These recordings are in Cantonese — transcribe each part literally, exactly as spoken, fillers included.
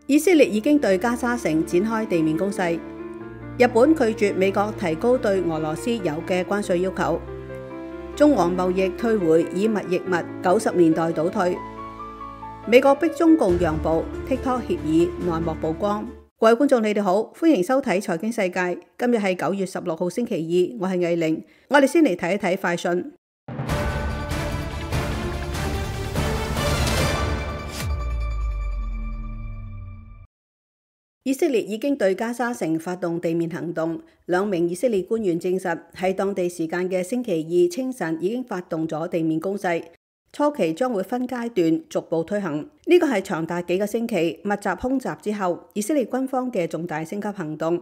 以色列已經對加沙城展開地面攻勢。日本拒絕美國提高對俄羅斯油嘅關稅要求。中俄貿易退回以物易物，九十年代倒退。美國逼中共讓步 ，TikTok 協議內幕曝光。各位觀眾，你哋好，歡迎收睇財經世界。今日係九月十六號星期二，我係藝玲。我哋先嚟睇一睇快訊。以色列已經對加沙城發動地面行動，兩名以色列官員證實喺當地時間嘅星期二清晨已經發動咗地面攻勢，初期將會分階段逐步推行。呢個係長達幾個星期密集空襲之後，以色列軍方嘅重大升級行動。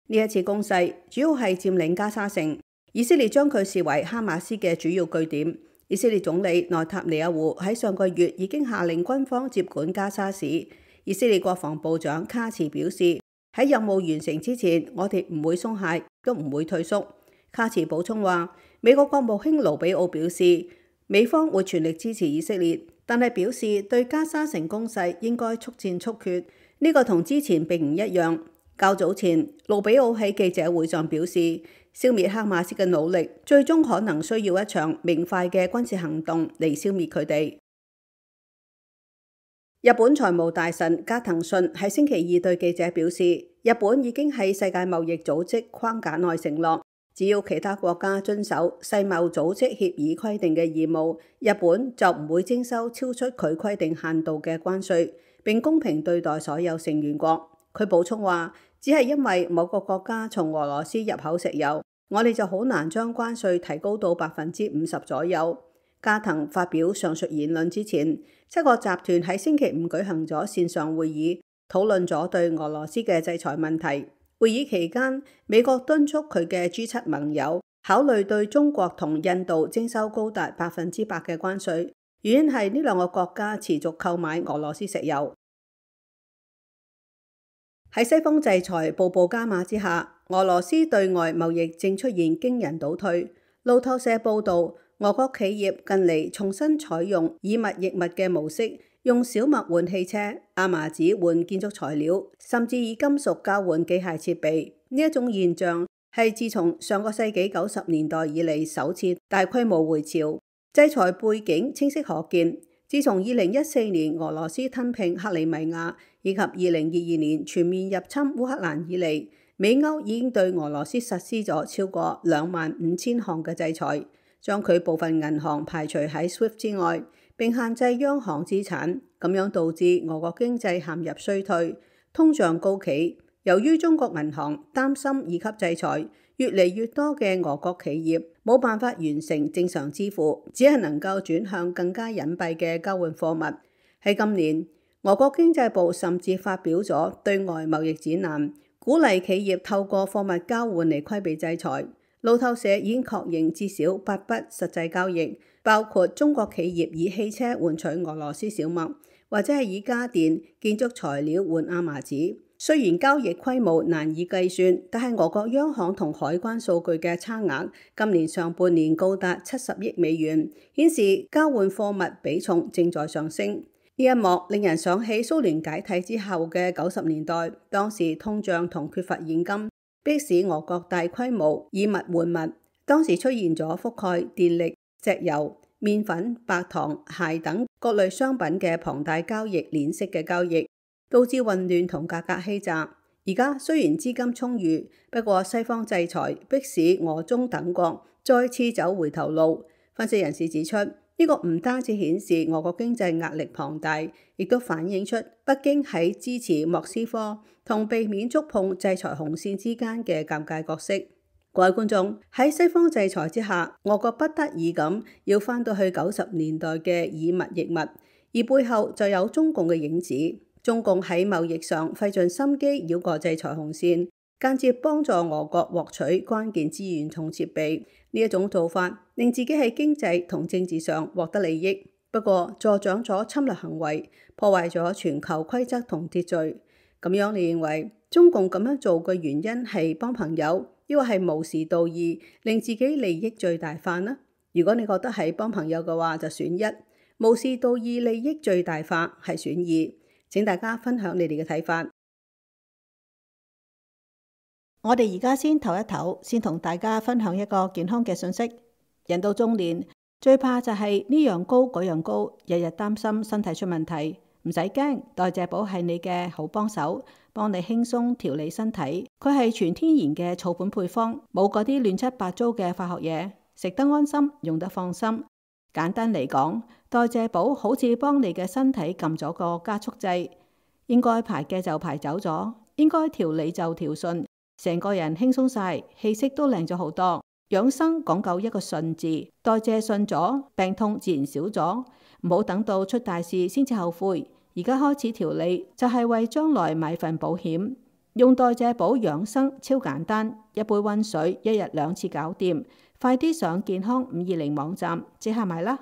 呢一次攻勢主要係佔領加沙城，以色列將佢視為哈馬斯嘅主要據點。以色列總理內塔尼亞胡喺上個月已經下令軍方接管加沙市。以色列國防部長卡茨表示，喺任務完成之前，我哋唔會鬆懈，都唔會退縮。卡茨補充話，美國國務卿盧比奧表示，美方會全力支持以色列，但係表示對加沙城攻勢應該速戰速決。呢個同之前並唔一樣。較早前，盧比奧喺記者會上表示，消滅哈馬斯嘅努力，最終可能需要一場明快嘅軍事行動嚟消滅佢哋。日本財務大臣加藤信喺星期二對記者表示，日本已經喺世界貿易組織框架內承諾，只要其他國家遵守世貿組織協議規定嘅義務，日本就唔會徵收超出佢規定限度嘅關稅，並公平對待所有成員國。佢補充話，只係因為某個國家從俄羅斯入口石油，我哋就好難將關稅提高到百分之五十左右。加藤發表上述言論之前，七個集團喺星期五舉行咗線上會議，討論咗對俄羅斯嘅制裁問題。會議期間，美國敦促佢嘅 G 七盟友考慮對中國同印度徵收高達百分之百嘅關稅，原因係呢兩個國家持續購買俄羅斯石油。喺西方制裁步步加碼之下，俄羅斯對外貿易正出現驚人倒退。路透社報導，俄國企業近嚟重新採用以物易物嘅模式，用小麥換汽車、亞麻紙換建築材料，甚至以金屬交換機械設備。呢一種現象係自從上個世紀九十年代以嚟首次大規模回潮。制裁背景清晰可見，自從二零一四年俄羅斯吞併克里米亞，以及二零二二年全面入侵烏克蘭以嚟，美歐已經對俄羅斯實施咗超過兩萬五千項嘅制裁，將佢部分銀行排除喺 SWIFT 之外，並限制央行資產，咁樣導致俄國經濟陷入衰退，通脹高企。由於中國銀行擔心二級制裁，越嚟越多嘅俄國企業冇辦法完成正常支付，只係能夠轉向更加隱蔽嘅交換貨物。喺今年，俄國經濟部甚至發表咗對外貿易指南，鼓勵企業透過貨物交換嚟規避制裁。路透社已經確認至少八筆實際交易，包括中國企業以汽車換取俄羅斯小麥，或者係以家電、建築材料換亞麻紙。雖然交易規模難以計算，但係俄國央行同海關數據嘅差額今年上半年高達七十億美元，顯示交換貨物比重正在上升。呢一幕令人想起蘇聯解體之後嘅九十年代，當時通脹同缺乏現金，迫使俄國大規模以物換物。當時出現咗覆蓋電力、石油、麵粉、白糖、鞋等各類商品嘅龐大交易鏈式嘅交易，導致混亂同價格欺詐。而家雖然資金充裕，不過西方制裁迫使俄中等國再次走回頭路。分析人士指出，呢個唔單止顯示俄國經濟壓力龐大，亦都反映出北京喺支持莫斯科同避免觸碰制裁紅線之間嘅尷尬角色。各位觀眾，喺西方制裁之下，俄國不得已咁要返到去九十年代嘅以物易物，而背後就有中共嘅影子。中共喺貿易上費盡心機繞過制裁紅線，間接幫助俄國獲取關鍵資源同設備。呢一種做法令自己喺經濟同政治上獲得利益，不過助長咗侵略行為，破壞咗全球規則同秩序。咁樣你認為中共咁樣做嘅原因係幫朋友，抑或係無視道義，令自己利益最大化呢？如果你覺得係幫朋友嘅話，就選一；無視道義，利益最大化係選二。請大家分享你哋嘅睇法。我哋而家先唞一唞，先同大家分享一個健康嘅信息。人到中年，最怕就係呢樣高嗰樣高，日日擔心身體出問題。唔使驚，代謝寶係你嘅好幫手，幫你輕鬆調理身體。佢係全天然嘅草本配方，冇嗰啲亂七八糟嘅化學嘢，食得安心，用得放心。簡單嚟講，代謝寶好似幫你嘅身體撳咗個加速掣，應該排嘅就排走咗，應該調理就調順，成個人輕鬆晒，氣色都靚咗好多。養生講究一個順字，代謝順咗，病痛自然少咗。唔好等到出大事先至後悔，而家開始調理就係為將來買份保險。用代謝寶養生超簡單，一杯溫水，一日兩次搞掂。快啲上健康五二零網站即刻買啦！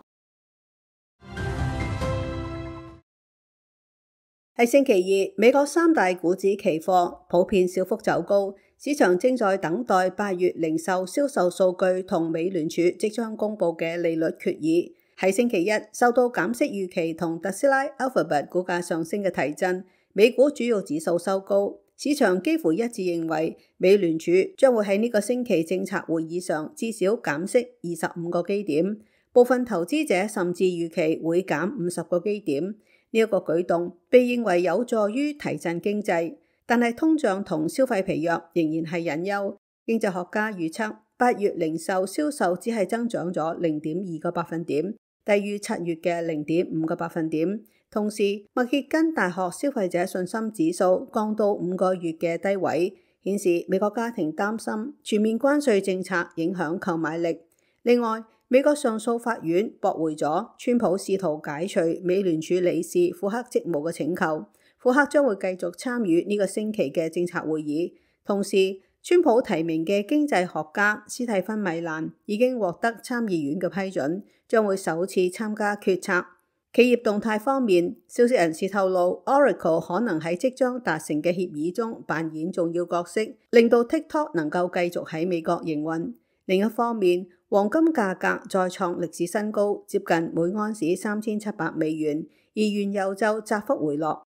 係星期二，美國三大股指期貨普遍小幅走高，市場正在等待八月零售銷售數據同美聯儲即將公布嘅利率決議。喺星期一，受到減息預期同特斯拉 Alphabet 股價上升嘅提振，美股主要指數收高。市場幾乎一致認為，美聯儲將會喺呢個星期政策會議上至少減息二十五個基點，部分投資者甚至預期會減五十個基點。呢、這、一個舉動被認為有助於提振經濟，但係通脹同消費疲弱仍然係隱憂。經濟學家預測，八月零售銷售只係增長咗零點二個百分點，低於七月嘅零點五個百分點。同時，密歇根大學消費者信心指數降到五個月嘅低位，顯示美國家庭擔心全面關稅政策影響購買力。另外，美國上訴法院駁回咗川普試圖解除美聯儲理事庫克職務嘅請求，庫克將會繼續參與呢個星期嘅政策會議。同時，川普提名嘅經濟學家斯蒂芬米蘭已經獲得參議院嘅批准，將會首次參加決策。企業動態方面，消息人士透露 Oracle 可能喺即將達成嘅協議中扮演重要角色，令到 TikTok 能夠繼續喺美國營運。另一方面，黃金價格再創歷史新高，接近每安士三千七百美元，而原油就窄幅回落。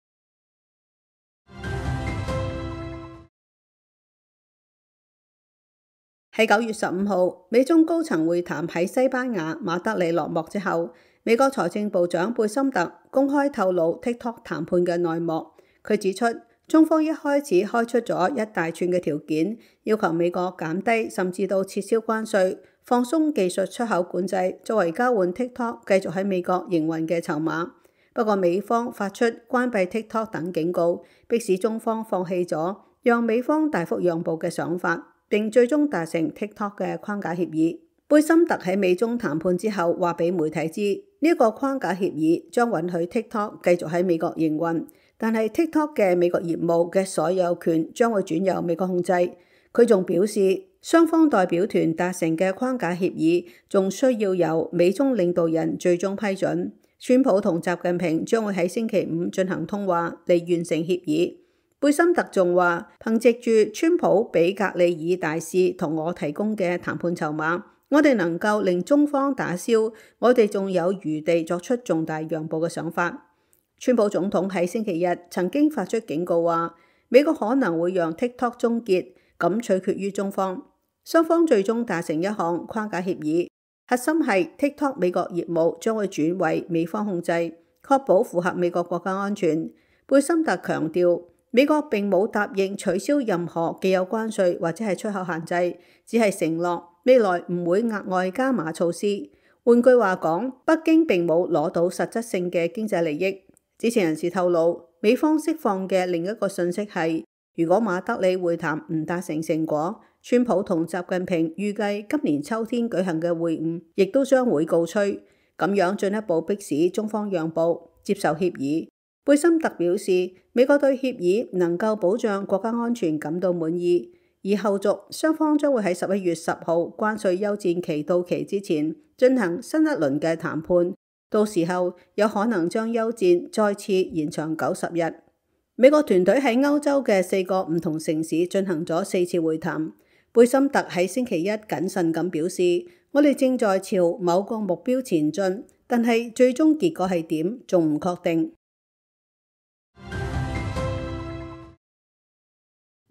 喺九月十五號，美中高層會談喺西班牙馬德里落幕之後，美國財政部長貝森特公開透露 TikTok 談判嘅內幕。佢指出，中方一開始開出咗一大串嘅條件，要求美國減低甚至到撤銷關稅，放鬆技術出口管制，作為交換 TikTok 繼續喺美國營運嘅籌碼。不過美方發出關閉 TikTok 等警告，迫使中方放棄咗讓美方大幅讓步嘅想法，並最終達成 TikTok 嘅框架協議。貝森特喺美中談判之後話俾媒體知，呢、這、一個框架協議將允許 TikTok 繼續喺美國營運，但係 TikTok 嘅美國業務嘅所有權將會轉由美國控制。佢仲表示，雙方代表團達成嘅框架協議仲需要由美中領導人最終批准。川普同習近平將會喺星期五進行通話嚟完成協議。貝森特仲話，憑藉住川普俾格里爾大使同我提供嘅談判籌碼，我哋能夠令中方打消我哋仲有餘地作出重大讓步嘅想法。川普總統喺星期日曾經發出警告話，美國可能會讓 TikTok 終結，咁取決於中方。雙方最終達成一項框架協議，核心係 TikTok 美國業務將會轉為美方控制，確保符合美國國家安全。貝森特強調，美國並冇答應取消任何既有關稅或者係出口限制，只係承諾未來唔會額外加碼措施。換句話講，北京並冇攞到實質性嘅經濟利益。知情人士透露，美方釋放嘅另一個訊息係，如果馬德里會談唔達成成果，川普同習近平預計今年秋天舉行嘅會晤亦都將會告吹，咁樣進一步迫使中方讓步接受協議。貝森特表示，美國對協議能夠保障國家安全感到滿意，而後續雙方將會喺十一月十號關稅休戰期到期之前進行新一輪嘅談判，到時候有可能將休戰再次延長九十日。美國團隊喺歐洲嘅四個唔同城市進行咗四次會談。貝森特喺星期一謹慎咁表示，我哋正在朝某個目標前進，但係最終結果係點仲唔確定。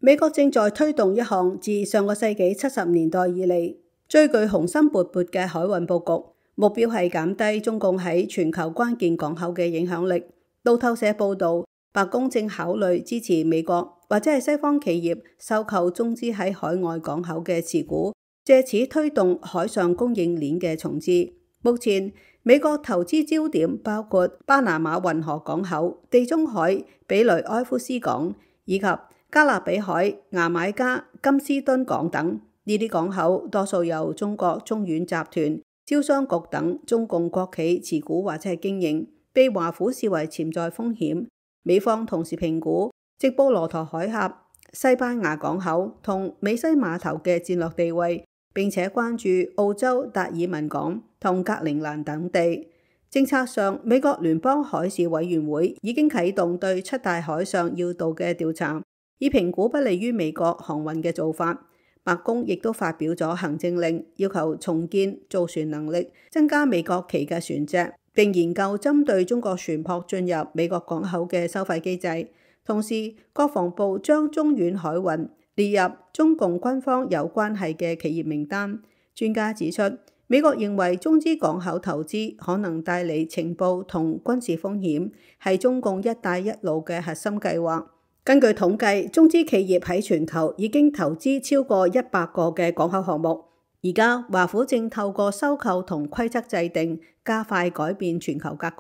美國正在推動一項自上個世紀七十年代以嚟最具雄心勃勃嘅海運佈局，目標係減低中共喺全球關鍵港口嘅影響力。路透社報導，白宮正考慮支持美國或者係西方企業收購中資喺海外港口嘅持股，藉此推動海上供應鏈嘅重置。目前美國投資焦點包括巴拿馬運河港口、地中海比雷埃夫斯港以及加勒比海牙買加金斯敦港等。呢啲港口多數由中國中遠集團、招商局等中共國企持股或者係經營，被華府視為潛在風險。美方同時評估直布羅陀海峽、西班牙港口同美西碼頭嘅戰略地位，並且關注澳洲達爾文港同格陵蘭等地。政策上，美國聯邦海事委員會已經啟動對七大海上要道嘅調查，以評估不利於美國航運嘅做法。白宮亦都發表咗行政令，要求重建造船能力，增加美國旗嘅船隻，並研究針對中國船舶進入美國港口嘅收費機制。同時，國防部將中遠海運列入中共軍方有關係嘅企業名單。專家指出，美國認為中資港口投資可能帶嚟情報同軍事風險，係中共一帶一路嘅核心計劃。根據統計，中資企業喺全球已經投資超過一百個嘅港口項目。而家華府正透過收購同規則制定，加快改變全球格局。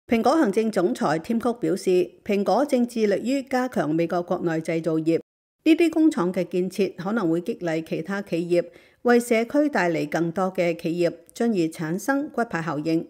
蘋果行政總裁添曲表示，蘋果正致力於加強美國國內製造業，呢啲工廠嘅建設可能會激勵其他企業，為社區帶嚟更多嘅企業，進而產生骨牌效應。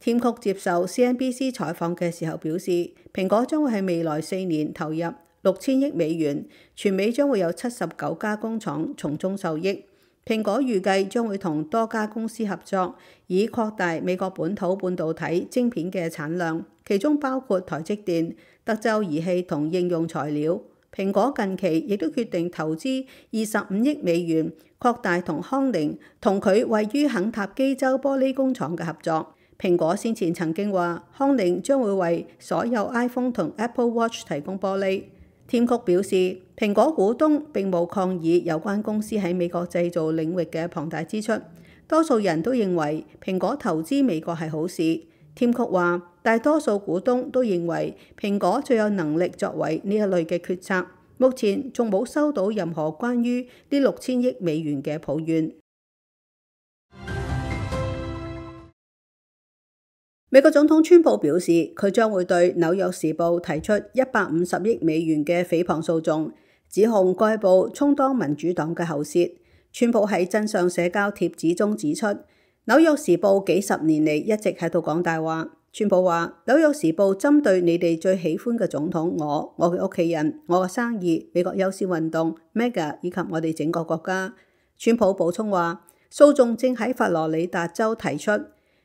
添曲接受 C N B C 採訪嘅時候表示，蘋果將會喺未來四年投入六千億美元，全美將會有七十九家工廠從中受益。蘋果預計將會同多家公司合作，以擴大美國本土半導體晶片嘅產量，其中包括台積電、德州儀器同應用材料。蘋果近期亦都決定投資二十五億美元，擴大同康寧同佢位於肯塔基州玻璃工廠嘅合作。蘋果先前曾經話，康寧將會為所有 iPhone 同 Apple Watch 提供玻璃。添曲表示，蘋果股東並冇抗議有關公司喺美國製造領域嘅龐大支出，多數人都認為蘋果投資美國係好事。添曲話，大多數股東都認為蘋果最有能力作為呢一類嘅決策。目前仲冇收到任何關於呢六千億美元嘅抱怨。美國總統川普表示，佢將會對紐約時報提出一百五十億美元嘅誹謗訴訟，指控該報充當民主黨嘅喉舌。川普喺真相社交貼紙中指出，紐約時報幾十年嚟一直喺度講大話。川普話，紐約時報針對你哋最喜歡嘅總統我、我嘅屋企人、我嘅生意、美國優先運動、M E G A 以及我哋整個國家。川普補充話，訴訟正喺佛羅里達州提出。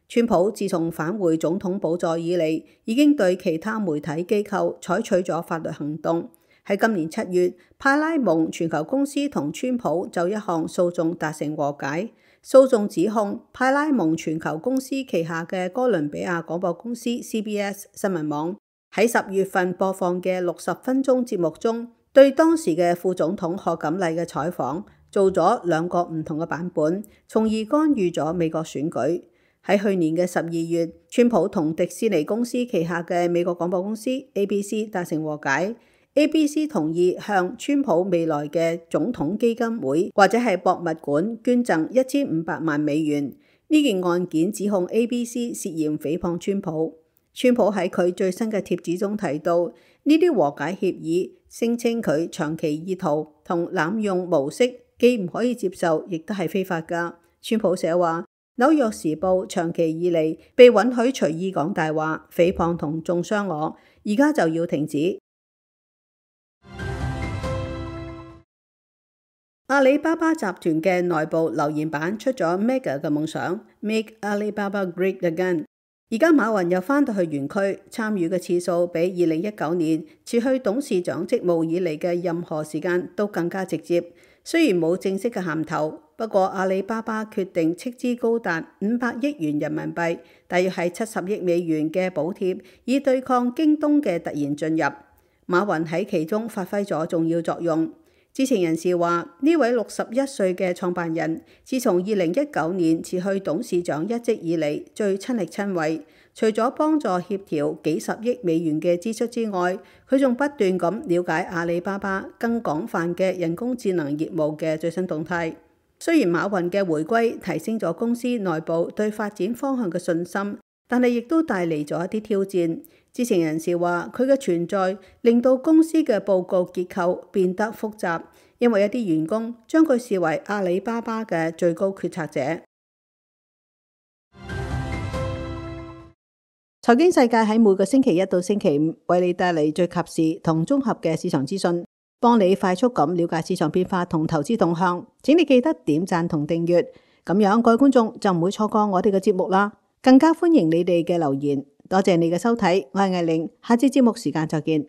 川普自從返回總統寶座以嚟，已經對其他媒體機構採取咗法律行動。喺今年七月，派拉蒙全球公司同川普就一項訴訟達成和解。訴訟指控派拉蒙全球公司旗下嘅哥倫比亞廣播公司 C B S 新聞網喺十月份播放嘅六十分鐘節目中，對當時嘅副總統賀錦麗嘅採訪做咗兩個唔同嘅版本，從而干預咗美國選舉。喺去年嘅十二月，川普同迪士尼公司旗下嘅美國廣播公司 A B C 達成和解。A B C 同意向川普未來嘅總統基金會或者係博物館捐贈一千五百萬美元。呢件案件指控 A B C 涉嫌誹謗川普。川普喺佢最新嘅貼紙中提到，呢啲和解協議聲稱佢長期意圖同濫用模式，既唔可以接受，亦都係非法㗎。川普寫話，紐約時報長期以嚟被允許隨意講大話、誹謗同中傷我，而家就要停止。阿里巴巴集團嘅內部留言板出咗 Mega 嘅夢想 ，Make Alibaba Great Again。而家馬雲又返到去園區，參與嘅次數比二零一九年辭去董事長職務以嚟嘅任何時間都更加直接。雖然冇正式嘅銜頭，不過阿里巴巴決定斥資高達五百億元人民幣，大約係七十億美元嘅補貼，以對抗京東嘅突然進入。馬雲喺其中發揮咗重要作用。知情人士話，呢位六十一歲嘅創辦人，自從二零一九年辭去董事長一職以嚟，最親力親為。除咗幫助協調幾十億美元嘅支出之外，佢仲不斷咁了解阿里巴巴更廣泛嘅人工智能業務嘅最新動態。雖然馬雲嘅回歸提升咗公司內部對發展方向嘅信心，但係亦都帶嚟咗一啲挑戰。知情人士話，佢嘅存在令到公司嘅報告結構變得複雜，因為一啲員工將佢視為阿里巴巴嘅最高決策者。財經世界喺每個星期一到星期五為你帶嚟最及時同綜合嘅市場資訊，幫你快速咁了解市場變化同投資動向。請你記得點讚同訂閱，咁樣各位觀眾就唔會錯過我哋嘅節目啦。更加歡迎你哋嘅留言。多謝你嘅收睇，我係艾玲，下次節目時間再見。